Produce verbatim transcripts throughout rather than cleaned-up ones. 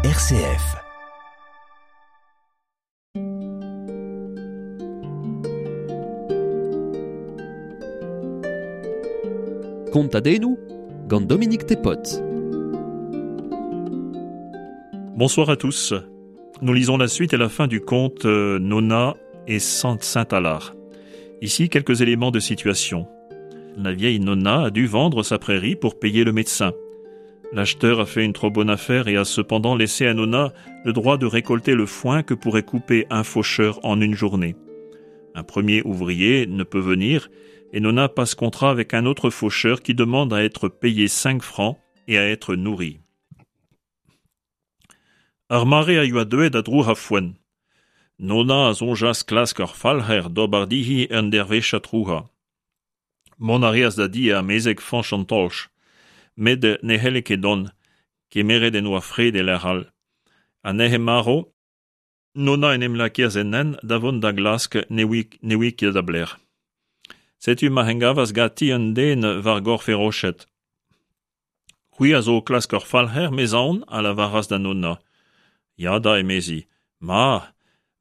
R C F. Kontadennoù gant Dominique Thépaut. Bonsoir à tous. Nous lisons la suite et la fin du conte Nona et Saint-Alar. Ici, quelques éléments de situation. La vieille Nona a dû vendre sa prairie pour payer le médecin. L'acheteur a fait une trop bonne affaire et a cependant laissé à Nona le droit de récolter le foin que pourrait couper un faucheur en une journée. Un premier ouvrier ne peut venir et Nona passe contrat avec un autre faucheur qui demande à être payé cinq francs et à être nourri. Ar mare a yoa deuet a drouc'h a foenn. Nona a soñjas klask ur falc'her d'ober dihi un dervezh a trouc'ha. Mont a reas da di amezeg Fañch an Tolch, met ne c'helle ket dont, kemeret en oa fred e lec'h all. Anezhe marv, Nona en em lakaas en hent da vont da glask ne oa ket da blec'h. Setu ma engavas ganti un den war gorf e roched. C'hwi a zo klask ur falc'her, mezaon, a lavaras da Nona. Ya da, emezi. Ma,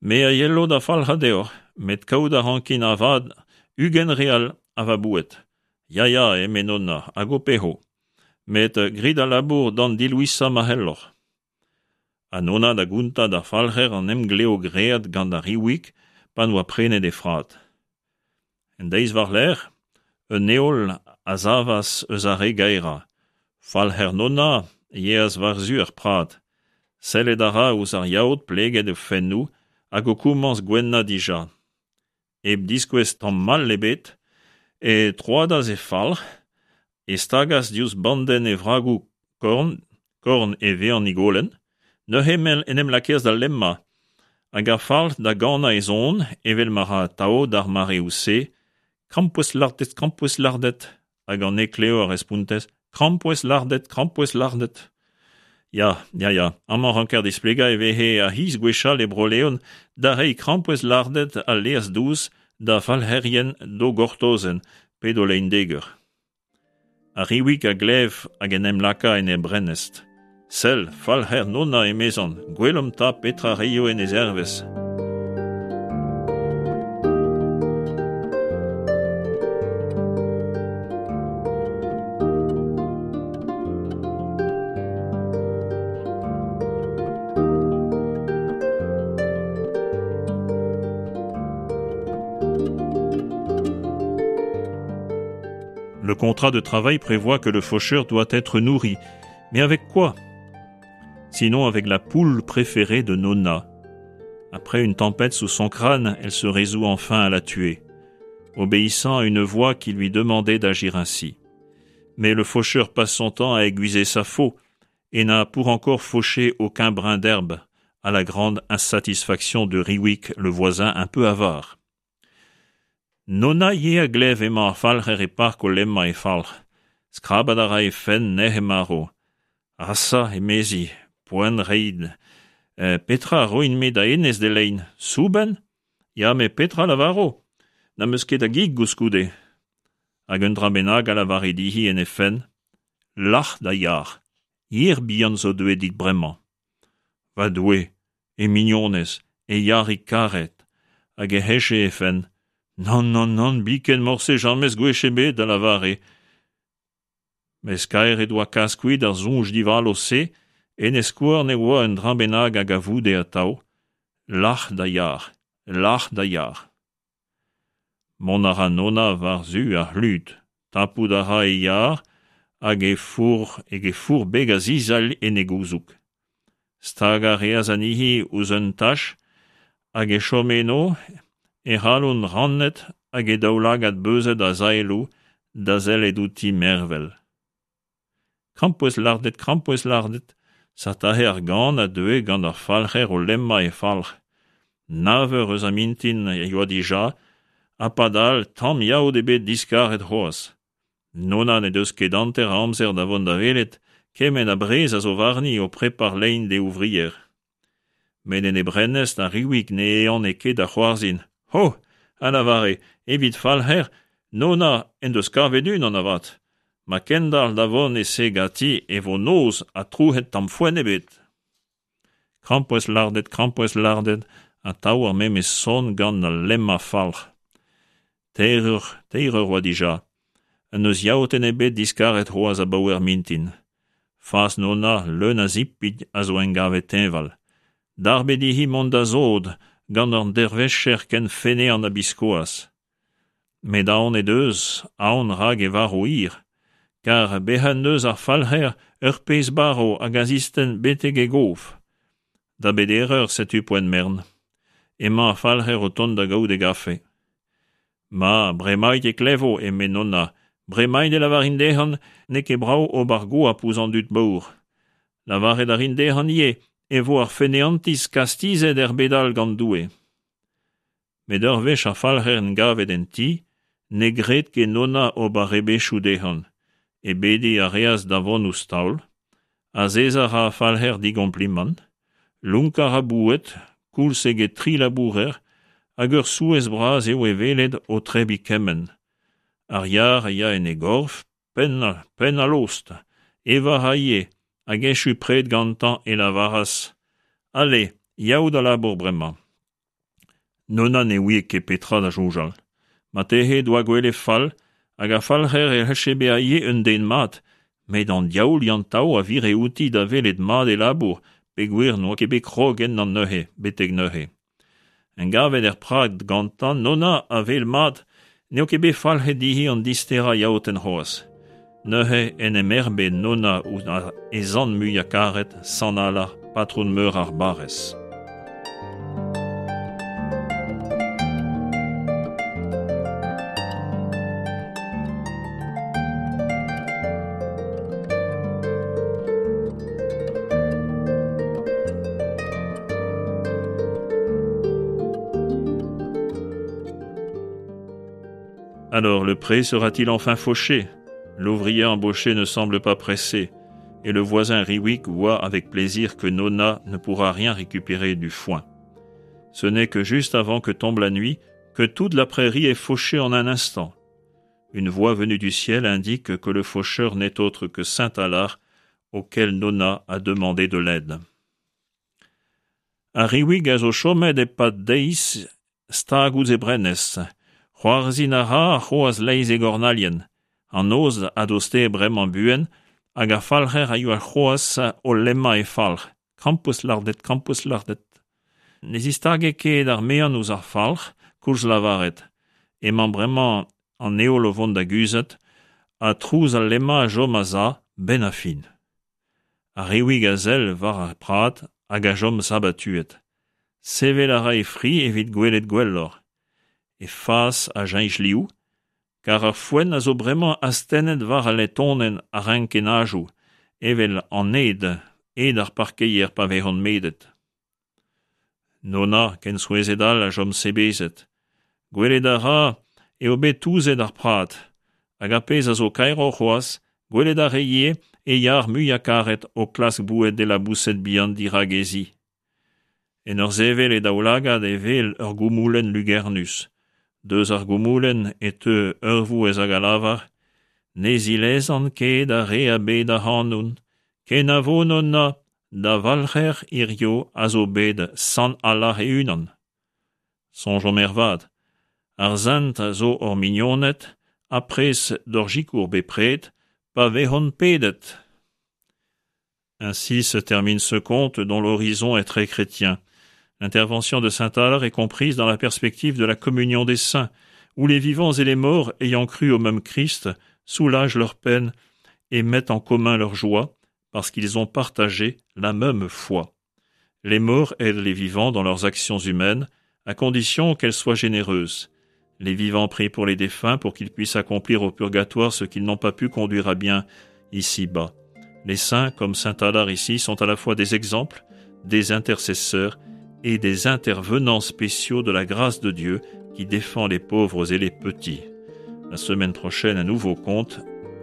me a yelo da falc'ha deoc'h, met kaout a rankin avad ugent real a va boued. Ya ya, eme Nona, hag ho peho. Met grit a labour d'an dilouisañ ma c'helloc'h. Ha Nona da gontañ d'ar falc'her an emglev graet gant ar Riwig pa n'oa prenet e frad. En deiz war-lerc'h, un heol a savas eus ar re gaerañ. Falc'her Nona yeas war-zu ar prad. Sellet a ra ouzh ar yaod pleget e fennoù hag o komañs gwennañ dija. Hep diskouez tamm mall ebet, e troadas e falc'h, e stagas diouzh bandenn e vragoù korn, korn e vezañ higolenn, neuze en em lakaas da lemmañ, hag ar falc'h da ganañ e zon, evel ma ra atav d'ar mareoù-se, krampouezh lardet, krampouezh lardet, hag an heklev a respontez, krampouezh lardet, krampouezh lardet. Ya, ya, ya, amañ ranker displegañ e veze ar c'hiz gwechall e Bro-Leon da reiñ krampouezh lardet ha laezh dous da falc'herien d'o gortozenn pe d'o lein-deger. Ar Riwig a glev hag en em laka en e brennest. Sell, falc'her Nona emezan, gwelomp 'ta petra reio en e zervezh. Le contrat de travail prévoit que le faucheur doit être nourri. Mais avec quoi ? Sinon avec la poule préférée de Nona. Après une tempête sous son crâne, elle se résout enfin à la tuer, obéissant à une voix qui lui demandait d'agir ainsi. Mais le faucheur passe son temps à aiguiser sa faux et n'a pour encore fauché aucun brin d'herbe, à la grande insatisfaction de Riwick, le voisin un peu avare. Nona ye a glev emañ ar falc'her e park o lemmañ e falc'h. Skrabat a ra e fenn nec'h marv. Asa, emezi, poent reiñ. Petra a roin-me da hennezh d'e lein? Soubenn ? Ya, met petra lavaro ? N'am eus ket a gig koulskoude. Hag un dra bennak a lavare dihi en he fenn. Lac'h da yar. Yer bihan zo deuet dit bremañ. Va Doue, e mignonez, e yarig karet, hag e heche he fenn. Nann, nann, nann, biken morse james gwech ebet, a lavare. Mes kaer he doa kas kuit ar soñj divalo-se, en e skouarn e oa un dra bennak hag a voude atav. Lac'h da yar, lac'h da yar. Mont a ra Nona war-zu ar c'hlud, tapout a ra e yar hag e four, hag e four beg a zizalh en e gouzoug. Stagañ a reas anezhi ouzh un tach hag e chom eno, e c'halon rannet hag e daoulagad beuzet a zaeloù da sellet outi mervel. Krampouezh lardet, krampouezh lardet, satahe ar gan a deue gant ar falc'her o lemmañ e falc'h. Nav eur eus ar mintin e yoa dija, ha padal tamm yaout ebet diskaret c'hoazh. Nona ne deus ket hanter a amzer da vont da welet, kement a brez a zo warni o prepar lein d'e ouvrier. Met en e brennest ar Riwig ne ehane ket da c'hoarzhin. Ho, a lavare, evit falc'her, Nona en deus kavet unan avat. Ma kendalc'h da vont e se ganti e vo noz ha trouc'het tamm foenn ebet. Krampouezh lardet, krampouezh lardet, atav ar memes son gant al lemmañ falc'h. Teir eur, teir eur oa dija. N'eus yaotenn ebet diskaret c'hoazh abaoe ar mintin. Fas Nonna, leun a zipit, a zo engavet teñval. Darbet dezhi mont da sod gant an dervezher ken feneant ha biskoazh. Met aon he deus, aon rak e varv hir. Kar bezañ en deus ar falc'her ur pezh barv hag a zistenn betek e gof. Da beder eur setu poent mern. Emañ ar falc'her o tont da gaout e gafe. Ma, bremaik e klevo, eme Nonna, bremaik e lavarin dezhañ n'eo ket brav ober goap ouzh an dud paour. Lavaret a rin dezhañ ivez e vo ar feneantiz kastizet er bed all gant Doue. Met ur wech ar falc'her engavet en ti, ne gred ket Nonna ober rebechoù dezhañ. E bediñ a reas da vont ouzh taol. Azezañ a ra ar falc'her digomplimant. Lonkañ a ra boued, koulz eget tri labourer, hag ur souezh bras eo e welet o tebriñ kement. Ar yar a ya en e gorf, penn, penn ha lost. Evañ a ra ivez, hag echu pred gantañ e lavaras Ale, yav da labour bremañ. Nonna ne ouie ket petra da soñjal. Marteze he doa gwelet fall, hag ar falc'her e c'hellje bezañ ivez un den mat, met an diaoul Yann-Tao a vire outi da welet mat e labour, peogwir n'oa ket bet krog ennañ neuze, betek neuze. Engavet er prad gantañ, Nonna a wel mat n'eo ket bet falc'het dezhi an disterañ yaotenn c'hoazh. Neuze en em erbed Nonna ouzh he zant muiañ-karet, Sant Alar, patron meur ar barrez. Alors, le pré sera-t-il enfin fauché? L'ouvrier embauché ne semble pas pressé, et le voisin Riwick voit avec plaisir que Nonna ne pourra rien récupérer du foin. Ce n'est que juste avant que tombe la nuit que toute la prairie est fauchée en un instant. Une voix venue du ciel indique que le faucheur n'est autre que Saint Alar, auquel Nonna a demandé de l'aide. Ar Riwig a zo chomet e-pad deiz stag ouzh e brenez. C'hoarzhin a ra c'hoazh leizh e gornalien. An noz a dostae bremañ buan, hag ar falc'her a yoa c'hoazh o lemmañ e falc'h. Krampouezh lardet, krampouezh lardet. Ne zistage ket ar mean ouzh ar falc'h, koulz lavaret. Emañ bremañ an heol o vont da guzhat, ha trouz al lemmañ a chom a-za, benn ar fin. Ar Riwig a sell war ar prad hag a chom sabatuet. Sevel a ra e fri evit gwelet gwelloc'h. E fas a cheñch liv, kar ar foenn a zo bremañ astennet war al letonenn a renkennajoù, evel an ed, ed ar parkeier pa vezont medet. Nonna, ken souezhet all, a chom sebezet. Gwelet a ra eo bet touzet ar prad, hag ar pezh a zo kaeroc'h c'hoazh, gwelet a ra ivez e yar muiañ-karet o klask boued d'e laboused bihan dirak he zi. En ur sevel e daoulagad e wel ur goumoulenn lugernus. Deus ar goumoulenn e teu ur vouezh hag a lavar Ne zilezan ket ar re a bed ac'hanon, kenavo Nonna, da valc'her hirio a zo bet Sant Alar e-unan. Soñjomp ervat, ar sent a zo hor mignoned ha prest d'hor sikour bepred pa vezont pedet. Ainsi se termine ce conte dont l'horizon est très chrétien. L'intervention de Saint Alar est comprise dans la perspective de la communion des saints, où les vivants et les morts, ayant cru au même Christ, soulagent leur peine et mettent en commun leur joie, parce qu'ils ont partagé la même foi. Les morts aident les vivants dans leurs actions humaines, à condition qu'elles soient généreuses. Les vivants prient pour les défunts pour qu'ils puissent accomplir au purgatoire ce qu'ils n'ont pas pu conduire à bien ici-bas. Les saints, comme Saint Alar ici, sont à la fois des exemples, des intercesseurs et des intervenants spéciaux de la grâce de Dieu qui défend les pauvres et les petits. La semaine prochaine, un nouveau conte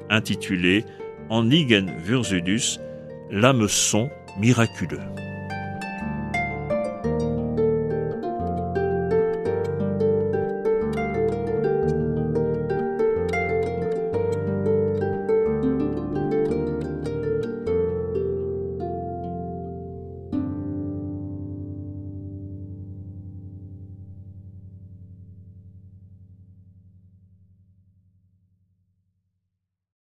intitulé En igen Vurzudus, l'hameçon miraculeux.